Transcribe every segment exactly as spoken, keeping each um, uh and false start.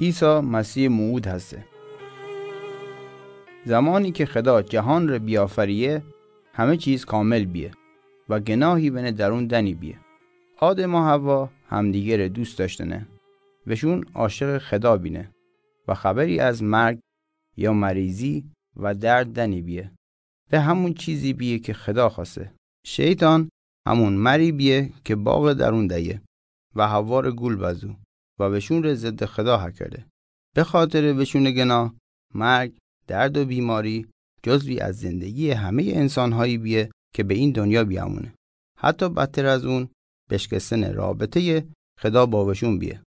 عیسی مسیح موعود هسته. زمانی که خدا جهان را بیافریه، همه چیز کامل بیه و گناهی بین درون دنی بیه. آدم و حوا همدیگه را دوست داشتنه. وشون عاشق خدا بینه و خبری از مرگ یا مریضی و درد دنی بیه. به همون چیزی بیه که خدا خواسته. شیطان همون مری بیه که باغ درون دیه و حوا را گول بزو و وشون را ضد خدا هکرده. به خاطر وشون گناه، مرگ، درد و بیماری جزوی از زندگی همهٔ انسان‌هایی بیه که به این دنیا بیامونه. حتی بدتر از اون، بشکستن رابطهٔ خدا با وشون بیه.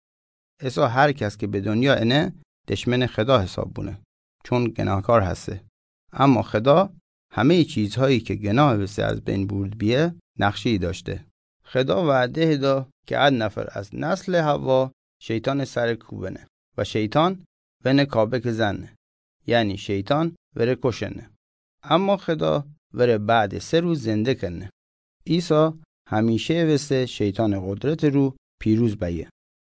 عیسی هر کس که به دنیا انه، دشمن خدا حساب بونه، چون گناهکار هسته. اما خدا همهٔ چیزهایی که گناه وسه از بین برد بیه، نقشه‌ای داشته. خدا وعده دا که هر نفر از نسل حوا شیطان سر کوبنه و شیطان ونه کابک زنه، یعنی شیطان وره کشنه. اما خدا وره بعد سه روز زنده کنه. عیسی همیشه وسه شیطان قدرت رو پیروز بیه.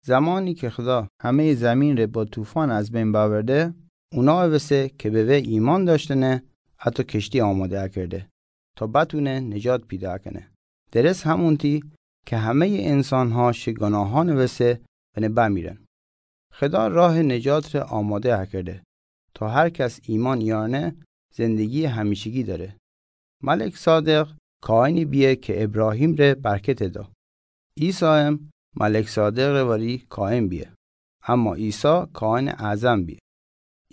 زمانی که خدا همهٔ زمین ره با طوفان از بین باورده، اونا وسه که به وی ایمان داشتنه، حتی کشتی آماده کرده تا بتونه نجات پیدا کنه. درست همونتی که همهٔ انسان‌ها شه گناهان وسه ونه بمیرن. خدا راه نجات ره آماده کرده تا هر کس ایمان یارنه زندگی همیشگی داره. ملک صادق کاهنی بیه که ابراهیم ره برکت دا. عیسی هم ملک صادق وری کاهن بیه، اما عیسی کاهن اعظم بیه.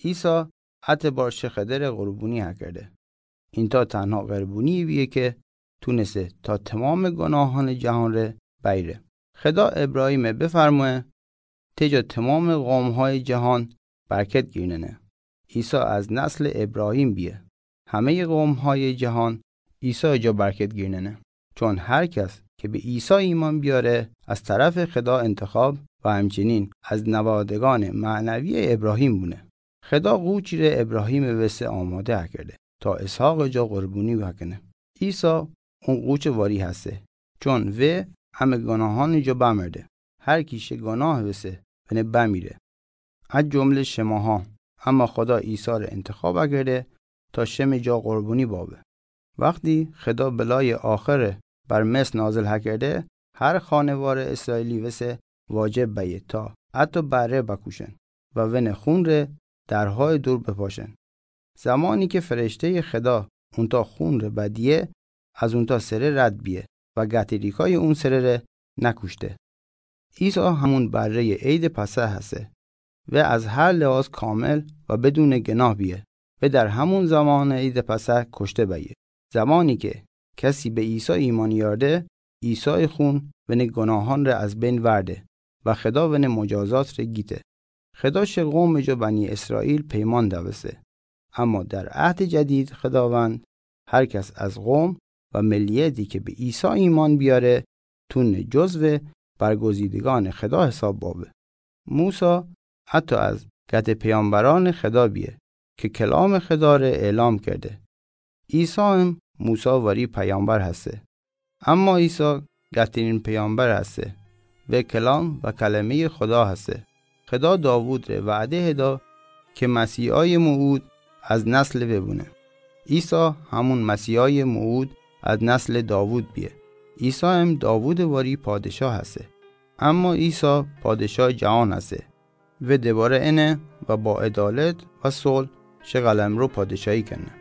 عیسی ات بار شه خدا ره قربونی هکرده. اینتا تنها قربونی بیه که تونسه تا تمام گناهان جهان ره بیره. خدا ابراهیم بفرموه: «ته جا تمام قوم‌های جهان برکت گیرننه.» عیسی از نسل ابراهیم بیه. همهٔ قوم‌های جهان عیسی جا برکت گیرننه. چون هر کس که به عیسی ایمان بیاره، از طرف خدا انتخاب و همچنین از نوادگان معنوی ابراهیم بونه. خدا قوچی ره ابراهیم وسه آماده کرده تا اسحاق جا قربونی بکنه. عیسی اون قوچ واری هسته، چون وی همه گناهان جا بمرده. هر کی شه گناه وسه ونه بمیره، از جمله شماها. اما خدا عیسی ره انتخاب کرده تا شم جا قربونی بابه. وقتی خدا بلای آخر بر مصر نازل هکرده، هر خانوار اسرائیلی وسه واجب بیه تا حتی بره بکوشن و ون خون ره درهای دور بپاشن. زمانی که فرشتهٔ خدا اونتا خون ره بدیه، از اونتا سره رد بیه و گتریکای اون سره ره نکوشته. عیسی همون برهٔ عید پسح هسته. و از هر لحاظ کامل و بدون گناه بیه و در همون زمان عید پسح کشته بیه. زمانی که کسی به عیسی ایمان یارده، عیسی خون ون گناهان ره از بین ورده و خدا ون مجازات ره گیته. خدا شه قوم جا بنی اسرائیل پیمان دوسته. اما در عهد جدید خداوند هر کس از قوم و ملیتی که به عیسی ایمان بیاره، تونه جزو برگزیدگان خدا حساب بابه. موسی حتی از گت پیامبران خدا بیه که کلام خدا ره اعلام کرده. عیسی هم موسی واری پیامبر هسته. اما عیسی گترین پیامبر هسته و کلام و کلمهٔ خدا هسته. خدا داوود ره وعده دا که مسیحای موعود از نسل وی بونه. عیسی همون مسیحای موعود از نسل داوود بیه. عیسی هم داوود واری پادشاه هسته. اما عیسی پادشاه جهان هسته و دوباره انه و با عدالت و صلح شه قلمرو پادشاهی کنه.